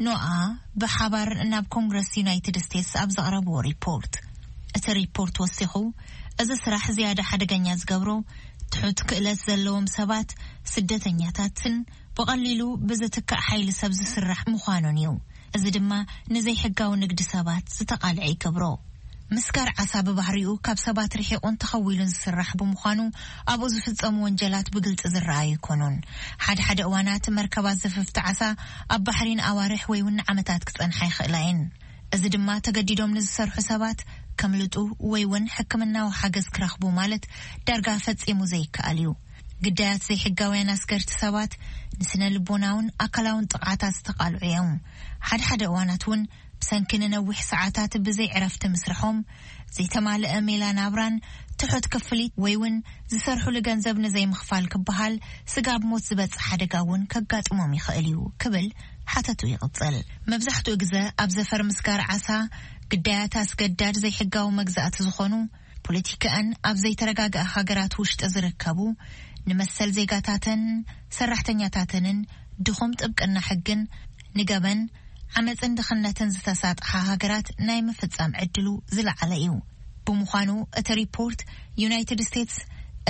ኖኣ ብሓባር ናብ ኮንግረስ ዩናይትድ ስቴትስ ኣብ ዘቕረብዎ ሪፖርት። እቲ ሪፖርት ወሲኹ፣ እዚ ስራሕ ዝያዳ ሓደገኛ ዝገብሮ ትሑት ክእለት ዘለዎም ሰባት፣ ስደተኛታትን ብቐሊሉ ብዝትካእ ሓይሊ ሰብ ዝስራሕ ምዃኑን እዩ። እዚ ድማ ንዘይሕጋዊ ንግዲ ሰባት ዝተቓልዐ ይገብሮ። ምስጋር ዓሳ ብባህሪኡ ካብ ሰባት ርሒቑን ተኸዊሉን ዝስራሕ ብምዃኑ ኣብኡ ዝፍጸሙ ወንጀላት ብግልጺ ዝረኣዩ ኣይኮኑን። ሓደ ሓደ እዋናት መርከባት ዘፈፍቲ ዓሳ ኣብ ባሕሪ ንኣዋርሕ ወይ እውን ንዓመታት ክጸንሓ ይኽእላ እየን። እዚ ድማ ተገዲዶም ንዝሰርሑ ሰባት ከምልጡ ወይ እውን ሕክምናዊ ሓገዝ ክረኽቡ ማለት ዳርጋ ፈጺሙ ዘይከኣል እዩ። ግዳያት ዘይሕጋውያን ኣስገርቲ ሰባት ንስነ ልቦናውን ኣካላውን ጥቕዓታት ዝተቓልዑ እዮም። ሓደ ሓደ እዋናት እውን ብሰንኪ ንነዊሕ ሰዓታት ብዘይ ዕረፍቲ ምስርሖም፣ ዘይተማልአ ሜላ ናብራን ትሑት ክፍሊት ወይ እውን ዝሰርሑሉ ገንዘብ ንዘይምኽፋል ክበሃል ስጋብ ሞት ዝበጽሕ ሓደጋ እውን ከጋጥሞም ይኽእል እዩ ክብል ሓተቱ ይቕጽል። መብዛሕትኡ ግዘ ኣብ ዘፈር ምስጋር ዓሳ ግዳያት ኣስገዳድ ዘይሕጋዊ መግዛእቲ ዝኾኑ ፖለቲካኣን ኣብ ዘይተረጋግአ ሃገራት ውሽጢ ዝርከቡ ንመሰል ዜጋታተን ሰራሕተኛታተንን ድኹም ጥብቅና ሕግን ንገበን ዓመፅን ድኽነትን ዝተሳጥሓ ሃገራት ናይ ምፍፃም ዕድሉ ዝለዓለ እዩ። ብምዃኑ እቲ ሪፖርት ዩናይትድ ስቴትስ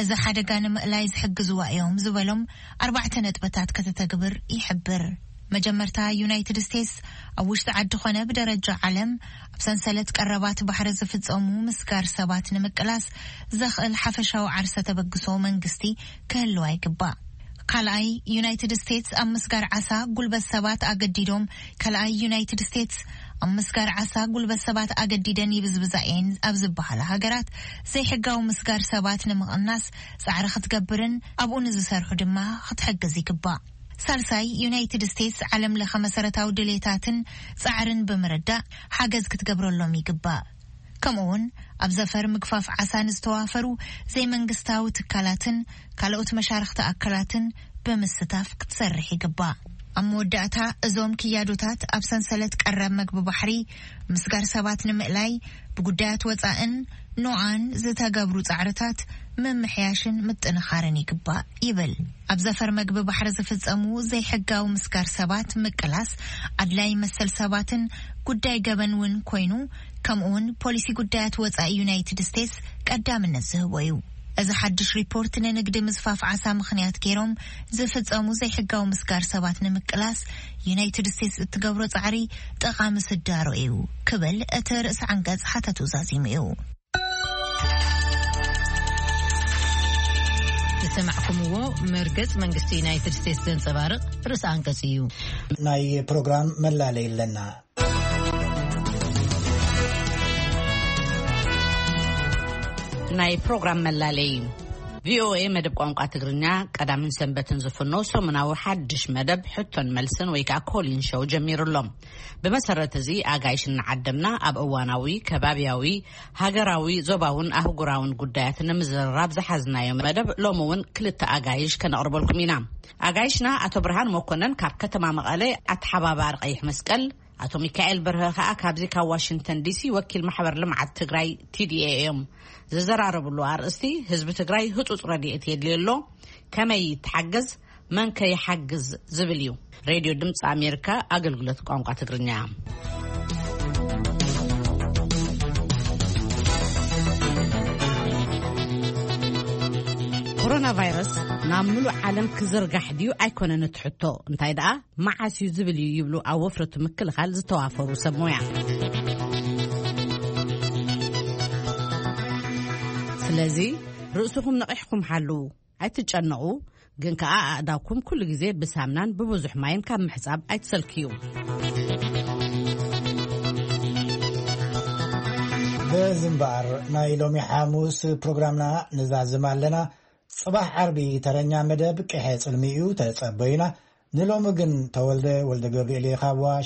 እዚ ሓደጋ ንምእላይ ዝሕግዝዋ እዮም ዝበሎም ኣርባዕተ ነጥብታት ከተተግብር ይሕብር። መጀመርታ ዩናይትድ ስቴትስ ኣብ ውሽጢ ዓዲ ኾነ ብደረጃ ዓለም ኣብ ሰንሰለት ቀረባት ባሕሪ ዝፍፀሙ ምስጋር ሰባት ንምቅላስ ዘኽእል ሓፈሻዊ ዓርሰ ተበግሶ መንግስቲ ክህልዋ ይግባእ። ካልኣይ ዩናይትድ ስቴትስ ኣብ ምስጋር ዓሳ ጉልበት ሰባት ኣገዲዶም ካልኣይ ዩናይትድ ስቴትስ ኣብ ምስጋር ዓሳ ጉልበት ሰባት ኣገዲደን ይብዝብዛ እየን ኣብ ዝበሃላ ሃገራት ዘይሕጋዊ ምስጋር ሰባት ንምቕናስ ፃዕሪ ክትገብርን ኣብኡ ንዝሰርሑ ድማ ክትሕግዝ ይግባእ። ሳልሳይ ዩናይትድ ስቴትስ ዓለም ለኸ መሰረታዊ ድሌታትን ፃዕርን ብምርዳእ ሓገዝ ክትገብረሎም ይግባእ። ከምኡ እውን ኣብ ዘፈር ምግፋፍ ዓሳ ንዝተዋፈሩ ዘይመንግስታዊ ትካላትን ካልኦት መሻርኽቲ ኣካላትን ብምስታፍ ክትሰርሕ ይግባእ። ኣብ መወዳእታ እዞም ክያዶታት ኣብ ሰንሰለት ቀረብ መግቢ ባሕሪ ምስጋር ሰባት ንምእላይ ብጉዳያት ወፃእን ኖኣን ዝተገብሩ ፃዕርታት ምምሕያሽን ምጥንኻርን ይግባእ ይብል። ኣብ ዘፈር መግቢ ባሕሪ ዝፍፀሙ ዘይሕጋዊ ምስጋር ሰባት ምቅላስ ኣድላይ መሰል ሰባትን ጉዳይ ገበን እውን ኮይኑ ከምኡውን ፖሊሲ ጉዳያት ወፃኢ ዩናይትድ ስቴትስ ቀዳምነት ዝህቦ እዩ። እዚ ሓድሽ ሪፖርት ንንግዲ ምስፋፍ ዓሳ ምኽንያት ገይሮም ዝፍፀሙ ዘይሕጋዊ ምስጋር ሰባት ንምቅላስ ዩናይትድ ስቴትስ እትገብሮ ፃዕሪ ጠቓሚ ስዳሮ እዩ ክብል እቲ ርእሲ ዓንቀጽ ሓተቱ ዛዚሙ እዩ። ዝሰማዕኩምዎ መርገጽ መንግስቲ ዩናይትድ ስቴትስ ዘንጸባርቕ ርእሲ ኣንቀጽ እዩ። ናይ ፕሮግራም መላለይ ኣለና። ናይ ፕሮግራም መላለይ። ቪኦኤ መደብ ቋንቋ ትግርኛ ቀዳምን ሰንበትን ዝፍኖ ሰሙናዊ ሓድሽ መደብ ሕቶን መልስን ወይ ከዓ ኮሊን ሾው ጀሚሩ ኣሎ። ብመሰረት እዚ ኣጋይሽ እናዓደምና ኣብ እዋናዊ፣ ከባብያዊ፣ ሃገራዊ፣ ዞባውን ኣህጉራውን ጉዳያት ንምዝርራብ ዝሓዝናዮ መደብ ሎሚ እውን ክልተ ኣጋይሽ ከነቕርበልኩም ኢና። ኣጋይሽና ኣቶ ብርሃን መኮነን ካብ ከተማ መቐለ ኣተሓባባሪ ቀይሕ መስቀል፣ ኣቶ ሚካኤል በርሀ ከኣ ካብዚ ካብ ዋሽንግተን ዲሲ ወኪል ማሕበር ልምዓት ትግራይ ቲ ዲ ኤ እዮም። ዝዘራረብሉ ኣርእስቲ ህዝቢ ትግራይ ህጹጽ ረድኤት የድልዮ ኣሎ፣ ከመይ ይተሓገዝ፣ መን ከ ይሓግዝ ዝብል እዩ። ሬድዮ ድምፂ ኣሜሪካ ኣገልግሎት ቋንቋ ትግርኛ። ኮሮና ቫይረስ ናብ ምሉእ ዓለም ክዝርጋሕ ድዩ ኣይኮነን እቲ ሕቶ፣ እንታይ ደኣ መዓስ እዩ ዝብል እዩ ይብሉ ኣብ ወፍረቱ ምክልኻል ዝተዋፈሩ ሰብ ሞያ። ስለዚ ርእስኹም ነቒሕኩም ሓልዉ፣ ኣይትጨነቑ። ግን ከኣ ኣእዳውኩም ኩሉ ግዜ ብሳምናን ብብዙሕ ማይን ካብ ምሕጻብ ኣይትሰልክዩ። በዚ እምበኣር ናይ ሎሚ ሓሙስ ፕሮግራምና ንዛዝም ኣለና። ጽባሕ ዓርቢ ተረኛ መደብ ቅሐ ጽልሚ እዩ፣ ተጸበዩና። ንሎሚ ግን ተወልደ ወልደ ገብርኤል እየ ካብ ዋሽ